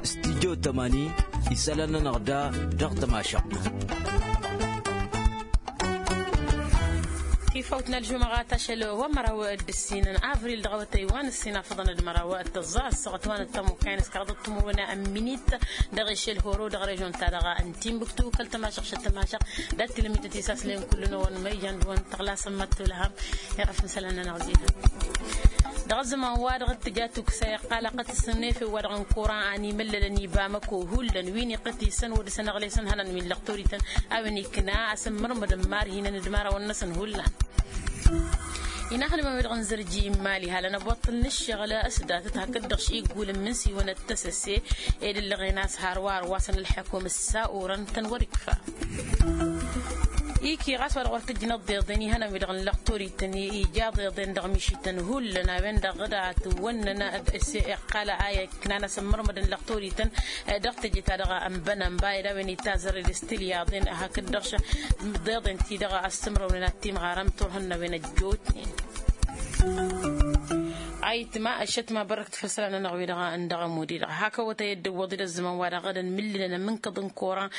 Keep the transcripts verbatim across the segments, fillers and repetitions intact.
Stidyo tămani isălan-nănăɣ da dăɣ-tămašăɣt. Tifawt n-ălžumăɣat ašăl wa n-măraw d-ǝssin n-avril dăɣ-awătăy wa n-ǝssin afăḍăn d-măraw d-tăẓẓa ăssaɣăt wa n-ăttămukay n-s kăraḍăt timǝrwen n-minit dăɣ-ešel horo dăɣ-režon-ta-dăɣ n-timbuktu kăl-tămašăɣ šăt tămašăɣ. Dat-tilămit tisaslen kull n-ăwăn măyyan d-ăwăn tăɣlasăn măttulham. Iɣăf n-isălan-nănăɣ zi-hăn. Dăɣ-ăzzăman wa dăɣ-t tǝja tuksa iqqal ăqqătăsăn efew wa dăɣ-n kuran a n-imǝllălăn i-bamăko hullan wi n-iqqăt isăn wăr dăr-săn ăɣlesăn hănăn wi n-lăqtor-ităn a-wen ikna asǝmmărmădăn marhinăn d-imărawăn-năsăn hullan. Inaxnǝmăn wi-dăɣ n-zărji n-imali halăn ăboṭṭǝl n-ǝššăɣǝl s-datăt hakd-dăɣ šigul n-imǝnsiwăn ăttăsăse ed ǝllăɣen a-s har wa ărwasăn ălḥăkum s-sa orăn-tăn wăr-ikfa. Iki ɣas wa-dăɣ wăr tǝjjǝnăḍ d-iḍen ihănăn wi-dăɣ n-lăqtor-ităn ija d-iḍen dăɣ-mišităn hullan a-wen-dăɣ d-atwănnăn s-iqqal a iknan asǝmmărmădăn lăqtor-ităn dăɣ-teje-ta-dăɣ n-bănănba ed a-wen itazărred s-tilyaḍen hakd-dăɣ d-iḍen-ti-dăɣ ăssǝmrăwnen ad-timɣarăm turhǝn n-a-wen ăjjootnen. Ayǝtma ăššătma bărrăkt făll-isălan-nănăɣ wi-dăɣ n-dăɣ-ămud-i-dăɣ hak ăwătăy ăddăwwăḍ-dd ăzzăman wa dăɣ-dd-ănmǝllǝlăn amǝnkăḍ n-kuran.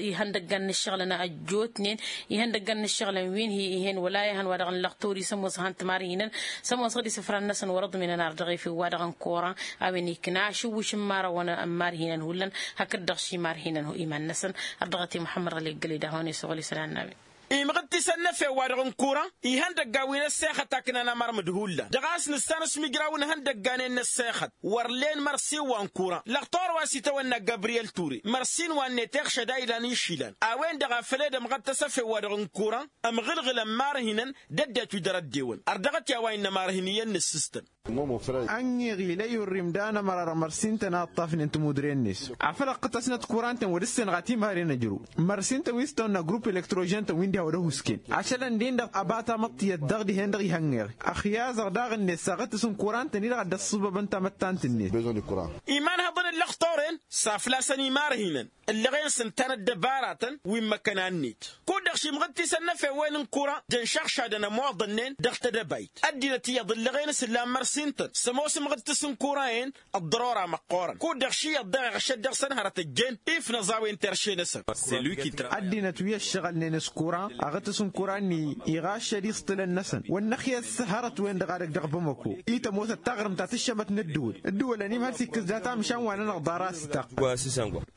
Ihăndăggan n-ǝššăɣǝlăn ăjjootnen ihăndăggan n-ǝššăɣǝlăn wi n-hi-ih'-en wăla ihăn wa dăɣ-nǝllăɣ tori s-ămoos ihăn timarhinăn s-ămoos ɣǝd isǝfran-năsăn wăr-ǝḍmǝnăn ar dăɣ-efew wa dăɣ-n kuran. A-wen ikna ašǝwwǝš n-imărawăn n-imarhinăn hullan hakd-dăɣ ši imarhinăn iman-năsăn. Ărdăɣăt i-muḥămmăd ɣăli ăggălăy d-ad-hawăn-e-suɣǝl isălan n-a-wen. Imɣǝd-tisăn n-efew wa dăɣ-n kuran ihăndăggan wi n-ăssexăt a ǝknan amărmǝd hullan dăɣ-a-s nǝssan s-imǝjraw n-ihăndăgganen n-ăssexăt wăr len mărsin wa n-kuran lăqtor wa s-itawănna gabriyel ture mărsin wa-net iɣšăd a ilan išilan a-wen-dăɣ a făl ed ămɣăttăs efew wa dăɣ-n kuran. Ămɣǝlɣǝlăn marhinăn d-ăddinăt wi dăr-ăddewăn ărdăɣăt i-a-wa innă marhin iyyăn n-ǝssǝstăn. Ănniɣ ila i-urrim d-anămărar mărsin-tăn a ǝṭṭafnen timudre-net afăl ăqqǝtăsnăt kuran-tăn wăr-dd-sănɣa timaren ăjrǝw mărsin-tăn wi s-tăwănna grupp elektrožen-tăn wi n-diha wăr-ăhusken ašălăn-din-dăɣ ăba tamăḍt tiyyăt dăɣ-dihen-dăɣ ihănneɣ. Ăxyazăɣ daɣ-net s-aɣǝtǝs n-kuran-tăn-i-dăɣ a dd-ăṣṣǝbăbăn tamăttant-net. Iman hăḍăn n-lăxtoren s-aflasăn imarhinăn ǝllăɣen s-ǝnta n-ăddăbaratăn wi n-imăkkăna-net. Kud-dăɣ šimɣǝd-tisăn n-efewwen n-kuran d-ǝnšăɣšadăn ămoḍănnen dăɣ-tedăbayt ăddinăt iyyăḍ ǝllăɣen s-ǝllan mărsin-tăn s-ămoos imɣǝd-tǝs n-kuran-en. Ăḍḍărora măqqoorăn kud-dăɣ ši iyyăḍ daɣ iɣšăd dăɣ-săn hărăt ăjjeen ifnăẓawen terše-năsăn. Ăddinăt wi ăššăɣălnen s-kuran aɣǝtǝs n-kuran-ni iɣaššăd iṣṭǝlăn-năsăn wăr năxyăs hărăt-wen-dăɣ a dăgg-dăɣ bamăko. I-tămoos ăttaɣrǝmt a tǝššămăt n-ăddǝwǝl ǝddǝwǝlăn-im hal s-ikkǝs data amšan wa-nănăɣ ḍarăs tăɣ.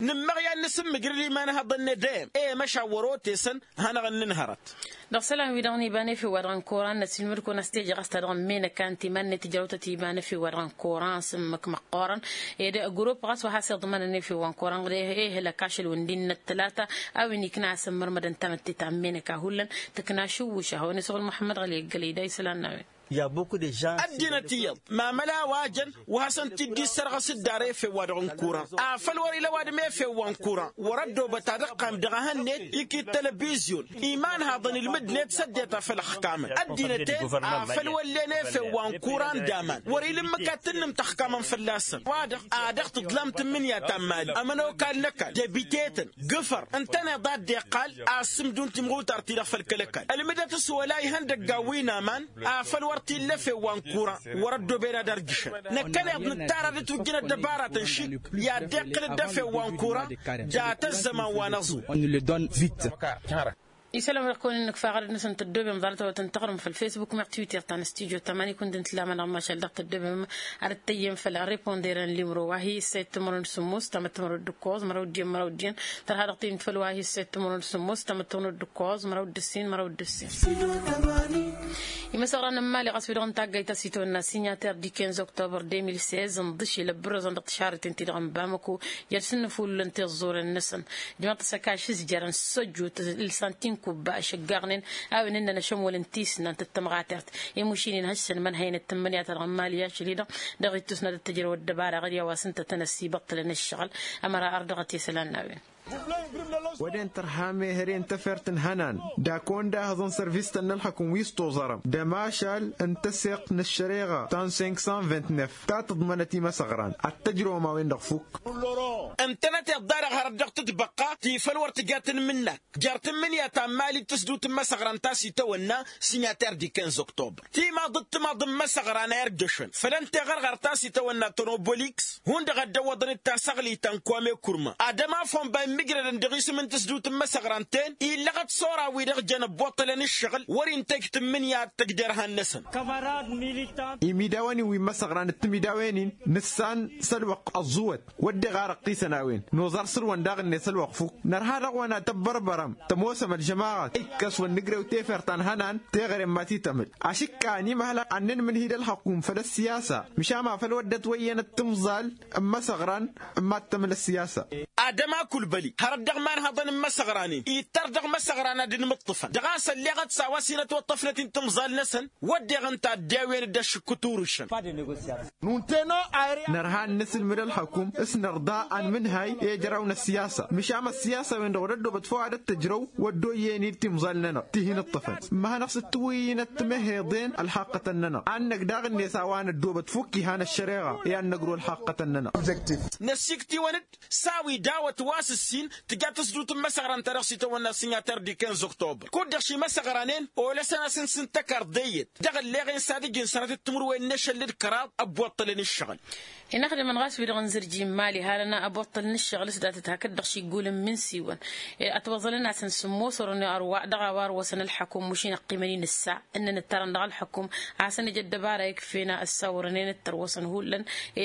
Nǝmmăɣ i-ad-nǝsǝmmǝjrǝd iman ihăḍăn-net dăyăm i-măšan wăr-otesăn. Hanăɣ-ǝnnǝn hărăt. Dăɣ-isălan-wi-dăɣ n-iba n-efew wa dăɣ-n kuran n-ăsilmǝd-kăwăn a-s teje ɣas ta dăɣ-n menăka n-timan-net tǝjrăw-tăt iba n-efew wa dăɣ-n kuran s-ǝmmǝk măqqoorăn ed grupp ɣas wa has-iḍmănăn efew wa n-kuran d-ehălăk ašăl wǝndin n-ăttălata. A-wen ikna a-s ǝmmărmădăn tamătte ta n-menăka hullan tǝkna ašǝwwǝš a hawăn-isăɣǝl muḥămmăd ɣăli ăggălăy da isălan n-a-wen. Ăddinăt iyyăḍ mamăla a-wa jăn wa hasăn-t-dd-issărɣăs dd-ar efew wa dăɣ-n kuran afăl wăr-ila ăwadǝm efew wa n-kuran wăr-ăddoobăt ad-ǝqqam dăɣ-ehăn-net. Iki d-telebizyon imanhaḍăn ilmǝd-net s-ăddinăt a făl ăxkamăn ăddinăt-en afăl wăllen efew wa n-kuran d-aman wăr-ila ǝmmǝk ad-tǝnnǝm tăxkamăn fălla-săn wa-dăɣ a dăɣ-tǝḍlam tǝmmǝnǝya ta n-imali ămănokal n-ăkall debite-tăn gǝfăr ǝntăneḍ a dd-iqqal a ăssǝmdun timɣutar-ti-dăɣ făll-kăl-ăkall ălmǝdăt s-wăla ihăndăggan wi n-aman afăl wăr t-illa efew wa n-kuran wăr-ăddooben ad-ărjǝšăn năkkăneḍ nǝttarad d-tujjǝn ăddăbaratăn šik i-ad-dd-iqqǝl dd-efew wa n-kuran. Dat-ăzzăman wa n-aẓu. Isălan-wi-dăɣ kăwăn-in-nǝkfa aɣrǝd-năsăn tăddoobem ḍarăt-awătăn tăɣrǝm făll-fesbuk meɣ twitter ta n-studyo tămani kund-in-tǝllam-anăɣ mašal dăɣ-tăddoobem. Ad-ăttăyyem făll-reponder n-limro wa hi-issăy timăron d-sǝmmos tamăttămăron d-ǝkkoẓ măraw d-iyyăn măraw d-iyyăn tărha dăɣ-tăyyem făll-wa hi-issăy timăron d-sǝmmos tamăttămăron d-ǝkkoẓ măraw d-ǝssin măraw d-ǝssin. Imăsăɣran n-mali ɣas wi-dăɣ n-taggayt a-s itwănna signater di quinze octobre deux mille seize ǝnḍǝšil ăbbărăẓăn dăɣ-tišarreten-ti-dăɣ n-bamăko jer-sǝnnǝfululăn tiẓẓuren-năsăn. Jmăḍ-t s-ăkaš s-jărăn s-săjjut ǝlsan tinkubba ăššăggaɣnen a-wen ǝnnăn ašămol n-tisnant d-tămɣatert. Imušin-in hăššăn mănhăyăn d-tǝmmǝnǝya-ta-dăɣ n-mali ašăl-i-dăɣ dăɣ-ittus n-ad-dd-tǝjrăw ăddăbara ɣǝd i-a-wa s-ǝnta tăn-ăssibăṭṭălăn ǝššăɣǝl. Ămăra ărdăɣăt i-isălan n-a-wen. Wăden tărha mehăre n-tefert n-hănan d-akăwăn d-ahăẓăn sărvistăn n-ălxăkum wi s-toẓărăm d-ămašal n-tăseɣt n-ăššăreɣa ta n-cinq cent vingt-neuf ta tǝḍmănăt imăsăɣran ad-t-ăjrăwăm a-wen-dăɣ fukk. Ǝntănăteḍ-da-dăɣ hărăt dăɣ-tǝtbăqqa ti făl wăr tǝja tǝnmǝnnak jer-tǝmmǝnǝya ta n-mali d-tǝsdǝwt n-imăsăɣran ta s-itawănna signater di quinze octobre. Timaḍ d-timaḍ n-imăsăɣran a irjăšăn făll-ănn teɣărɣărt ta s-itawănna tonoboliks hundăɣ a dd-ăwwăḍăn d-tasăɣli ta n-kome kurma ad-ămaf wănba immǝjrădăn dăɣ-isǝm n-tǝsdǝwt n-imăsăɣran-ten illăɣăt s-ora-wi-dăɣ jăn ăbboṭṭălăn ǝššăɣǝl wăr-intăj tǝmmǝnǝya ad-tăj derhan-năsăn. Imidawăn-in wi n-imăsăɣran d-timidawen-in nǝssan s-ălwăqq ăẓẓuwăt wădden ɣarăɣ-t isăn a-wen noẓar săr-wăn daɣ-net ălwăqq fukk. Nărha dăɣ-wăn ad-tăbbărbărăm tămoosăm ălžămaɣăt ikkăs wăr nǝjrew tefert ta n-hănan teɣăre n-mati tămǝl ašǝkka ănimăhăl ad-nǝnmǝnhǝy d-ălxăkum făll-ăssiyasa măšan ma făll-wădden ătwăyyănăt timẓal n-imăsăɣran n-mad-tămǝl ăssiyasa. Ad-ăma kulbăli hărăt dăɣ-imanhăḍăn n-imăsăɣran-in ittăr dăɣ-imăsăɣran ad-ǝnmǝṭṭǝfăn dăɣ-a-s ălleɣăt s-a-wa s-hin-ătwăṭṭăfnăt-in timẓal-năsăn wădden ǝnta ăddewăyăn-dd ašǝkkǝt urǝšăn. Nărha ad-nǝsǝlmǝd ălxăkum s-nărḍa anmǝnhay i-ijraw n-ăssiyasa măšan ăssiyasa-wen-dăɣ wăr ăddoobăt făw ad-ăttăjrăw wădden oyyen-dd timẓal-nănăɣ ti hin-ǝṭṭăfăn ǝmmăhănăɣ s-dd-tǝwǝyyǝnăt timǝhheḍen ălxaqqătăn-nănăɣ ad-năgg daɣ-net a-wa năddoobăt fukk ihan ăššăreɣa i-ad-năgru ălxaqqătăn-nănăɣ. Năssiktǝwăn-dd s-a-wi dawăt wa s-ǝssin tǝja tǝsdǝwt n-imăsăɣran-ta-dăɣ s-itawănna signater di quinze octobre kud-dăɣ šimăsăɣranen olăsăn-as n-sǝntăkarḍ eyyăt dăɣ-ălleɣen s-ad-ǝjǝn sănatăt timǝrwen n-ašăl d-kăraḍ ăbboṭṭălăn ǝššăɣǝl. Inăxdimăn ɣas wi-dăɣ n-zǝrji n-imali harăn abuṭṭăl n-ǝššăɣǝl s-datăt hakd-dăɣ šiggulăn min siwăn ătwăẓălăn-asăn sǝmmos orănne ărwa dăɣ-a-wa ărwăsăn ălxăkum mašin ăqqimăn-in ǝssa ǝnnăn ǝttarăn dăɣ-ălxăkum a-s ănij ăddăbara ikf'-en a ǝssawărăn-en d-tărwăsăn hullan.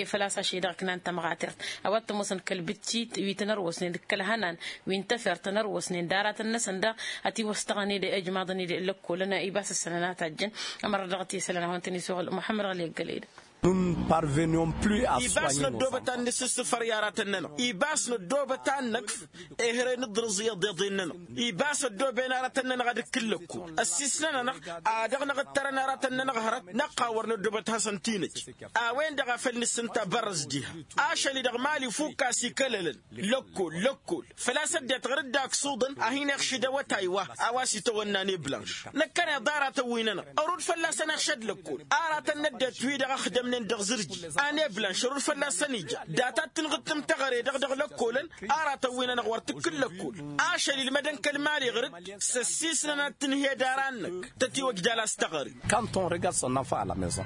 Făl-a-s ašăl-i-dăɣ ǝknan tamɣatert a-wa t-ămoosăn kăl-bǝttit wi tăn-ărwăsnen d-kăl-hănan wi n-tefert tăn-ărwăsnen d-aratăn-năsăn daɣ ătiwăstăɣăn-dd ijmaḍăn-dd lăkkolăn ibas ǝssănăn a tajjăn. Ămăra dăɣ-t isălan a hawăn-tăn-isuɣǝl muḥămmăd ɣăli ăggălăy-dăɣ. Ibas năddoobăt ad-nǝssǝssǝfăr i-aratăn-nănăɣ ibas năddoobăt ad-năkf ehăre nǝḍrǝẓ i-iḍeḍen-nănăɣ. Ibas ăddooben aratăn-nănăɣ ad-ǝkkǝl lăkkol ăssiisnăn-anăɣ a dăɣ-năɣ ǝttărăn aratăn-nănăɣ hărăt năqqa wăr năddoobăt hasăn-t-inǝj. A-wen-dăɣ a făl nǝssǝnta bărrăs diha ašăl-i-dăɣ mali fukk a-s ikălălăn lăkkol lăkkol. Făl-a-s ăddinăt ɣur-dd aksuḍăn a hin-iɣšǝd awătay wa a-wa s-itawănna ane blanš năkkăneḍ aratăn-wi-nănăɣ ărud fălla-săn iɣšăd lăkkol. Aratăn n-ăddinăt wi-dăɣ ăxdămnen dăɣ-zǝrji ane blanš ărud fălla-săn ija data d-tǝnɣǝttǝm teɣăre-dăɣ dăɣ-lăkkolăn. Aratăn-wi-nănăɣ wăr tǝkkǝl lăkkol ašăl ilmădăn kăl-mali ɣur-dd s-ăssiisnăn ad-tǝnhed ara-năk tătiwăjjal a-s teɣăre. Quand on regarde son enfant à la maison.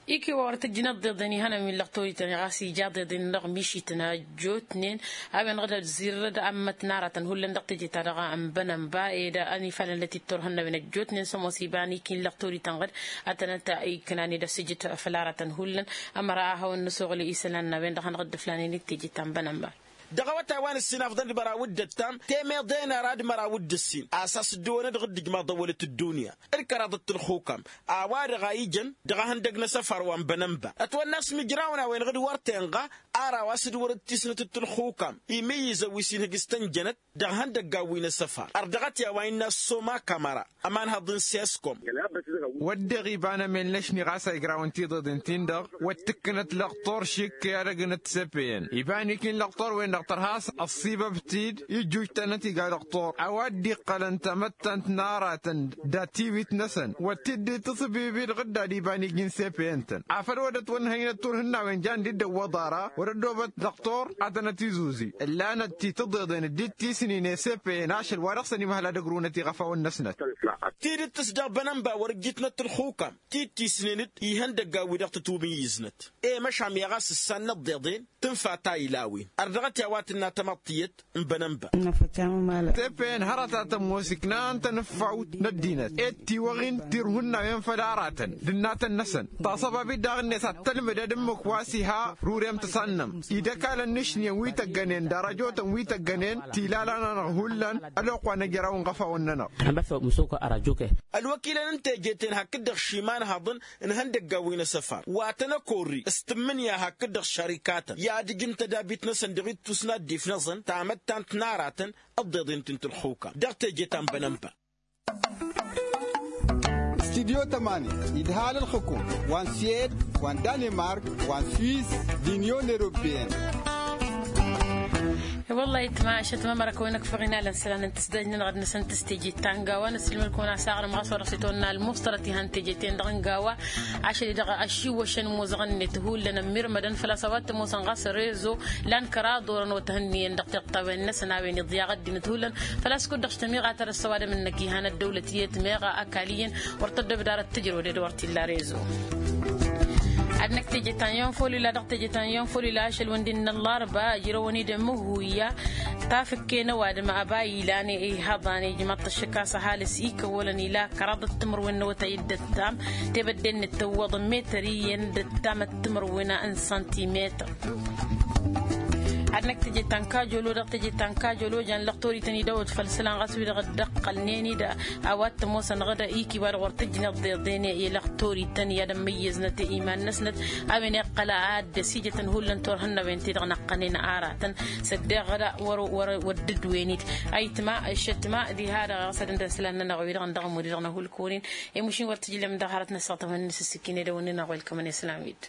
Iki wa wăr tǝjjǝn ăḍḍeḍen ihănăn wi n-lăɣ torităn ɣas ija ăḍḍeḍen-nănăɣ mišităn ăjjootnen a-wen-dăɣ d-ăzzirrăd ămmăt n-aratăn hullan dăɣ-teje-ta-dăɣ n-bănănba ed ănifalăn lăt-ittorhăn n-a-wen ăjjootnen s-ămoos iba n-iki n-lăɣ torităn ɣǝd. Ad-tănăt-iknan ed ăssijǝt făll-aratăn hullan ămăra a hawăn-nǝsuɣǝl isălan n-a-wen-dăɣ hanăɣ-dd-ǝflanen d-teje ta n-bănănba. Dăɣ-awătay wa nǝssin afḍăn d-măraw d-ăttam temeḍe n-ara d-măraw d-ǝssin a-s a-s dd-ăwănădăɣ dd-ǝjmaḍ ăwălăt ăddunya d-kăraḍăt tǝlxukam a-wa-dăɣ a ijăn dăɣ-ehăndăg n-asăfar wa n-bănănba. Ătwănna a-s mǝjrawăn a-wen-dăɣ d-wăr tenɣa ara wa s-dd-wărăt tisnăt d-tǝlxukam imǝyyǝzăn wi s-inhǝj s-tănjănăt dăɣ-ihăndăggan wi n-asăfar ărdăɣăt i-a-wa innă s-soma kamăra ămanhăḍ n-seskom. Wădden iba n-emel n-ašni ɣas a ijrawăn tiḍeḍen-tin-dăɣ wăr t-ǝkkǝnăt lăqtor šik i-ad-ăgnăt sepeyăn iba n-iki n-lăqtor-wen-dăɣ tărha a-s ăṣṣibăb-t-dd ijjuj-tănăt iga lăqtor a-wa dd-iqqălăn tamăttant n-aratăn datiwit-năsăn wăr t-dd-tǝṣbibi d-ɣǝdda d-iba n-iji n-sepeyăn-tăn afăl wăr dd-ătwănhăynăt turhǝnnawen jan dd-ăwwăḍ ara wăr-ăddoobăt lăqtor ad-tănăt-izuzi. Ǝllanăt ti-tǝḍeḍen dd-tisnin i-sepeyăn ašăl wa dăɣ-săn imhăl ad-ăgrunăt iɣăfawăn-năsnăt. Tidǝt-s dăɣ-bănănba wăr ǝjjǝtnăt tǝlxukam ti-tisnen-dd ihăndăggan wi dăɣ-tătwǝmǝyyǝznăt i-măšan mi ɣas ǝssan n-ăḍḍeḍen tǝnfa ta ila a-wen ărdăɣăt i-a-wa tǝnna tamăḍt tiyyăt n-bănănba. Tepăyăn hărăt a tămoos iknan tanǝffawt n-ăddinăt ed tiwăɣin tirhunnawen făll-aratăn d-ǝnnatăn-năsăn taṣăbabit daɣ-net ad-tălmǝdăd ǝmmǝk wa s-iha rurem tăsannăm idăkalăn n-ašni n-wi tăggănen d-arăjotăn wi tăggănen tilala-nănăɣ hullan. Ălwăqq wa n-ejăraw n-iɣăfawăn-nănăɣ. Ălwăkilăn n-teje-ten hakd-dăɣ šimanhăḍăn n-ihăndăggan wi n-asăfar wa tăn-ăkorri s-tǝmmǝnǝya hakd-dăɣ šărikatăn i-ad-ǝjǝn tădabit-năsăn dăɣ-ittus n-ad-dd-ifnăẓăn tamăttant n-aratăn ăḍḍeḍen ti n-tǝlxukam dăɣ-teje ta n-bănănba. Studyo tămani idhal ălxǝkum wa n-suwed wa n-danimark wa n-suwis d-inyon europeyăn. Wălla-hi ǝtma ašăt ma măra kăwăn-ăkfăɣ inalăn isălan n-tǝsdăj-nănăɣ d-năsăn tǝstejit ta n-gawa n-ăssilmăl-kăwăn a-s aɣrǝm ɣas wa dăɣ-s itwănna ălmuṣtărăt ihăn tejeten-dăɣ n-gawa. Ašăl-i-dăɣ ašiwwăšăn imuzăɣăn-net hullan ămmirmădăn făl-a-s a-wa t-ămoosăn ɣas rezo. Lan kăraḍ orăn otăhǝnniyăn dăɣ-tiṭṭawen-năsăn a-wen iḍyaɣ ăddinăt hullan. Făl-a-s kud-dăɣ s-tămiɣa ta dăr-s ăwadǝm-năk ihăn ăddăwlăt i-ătmeɣ ăkall iyyăn wăr tăddobed ara d-tǝjrăwăd ed wăr t-illa rezo. Ad-năkk teje ta n-yonfolila dăɣ-teje ta n-yonfolila ašăl-wǝndin n-ăllarba ǝjrăwăn-dd ămǝhuyya. Tafǝkke n-ăwadǝm ăba ilan ihăḍan ijmaḍ-t ăššăk a-s ăhalǝs ikăwwălăn ila kăraḍăt timǝrwen n-awătay d-ăttam. Tebădde-net tăwwăḍ n-metăr iyyăn d-ăttam d-timǝrwen n-santimetăr. Ad-năkk teje ta n-kajolo dăɣ-teje ta n-kajolo jan lăqtor-ităn idăwăt făll-isălan ɣas wi-dăɣ dd-ăqqălnen-dd. A-wa t-ămoosăn ɣǝd ikiba-dăɣ wăr t-ǝjneḍ deḍen i-lăqtor-ităn i-ad-ămmăyyăznăt i-iman-năsnăt. A-wen iqqăl ad-dd-ăsijătăn hullan turhǝnnawen-ti-dăɣ năqqănen aratăn. S-ăddeɣ ɣǝd wăr-wăr wăr dd-wen-dd. Ayǝtma ǝššătma diha-dăɣ ɣas ad-dd-ăslan-nănăɣ wi-dăɣ n-dăɣ ămud-dăɣ n-ahulkăwăn-in. I-mušin wăr tǝjlăm dăɣ-hărăt n-ăssaɣ tămănnes ǝssǝkkin edăwănnin-aɣ welkămăn islam-dd.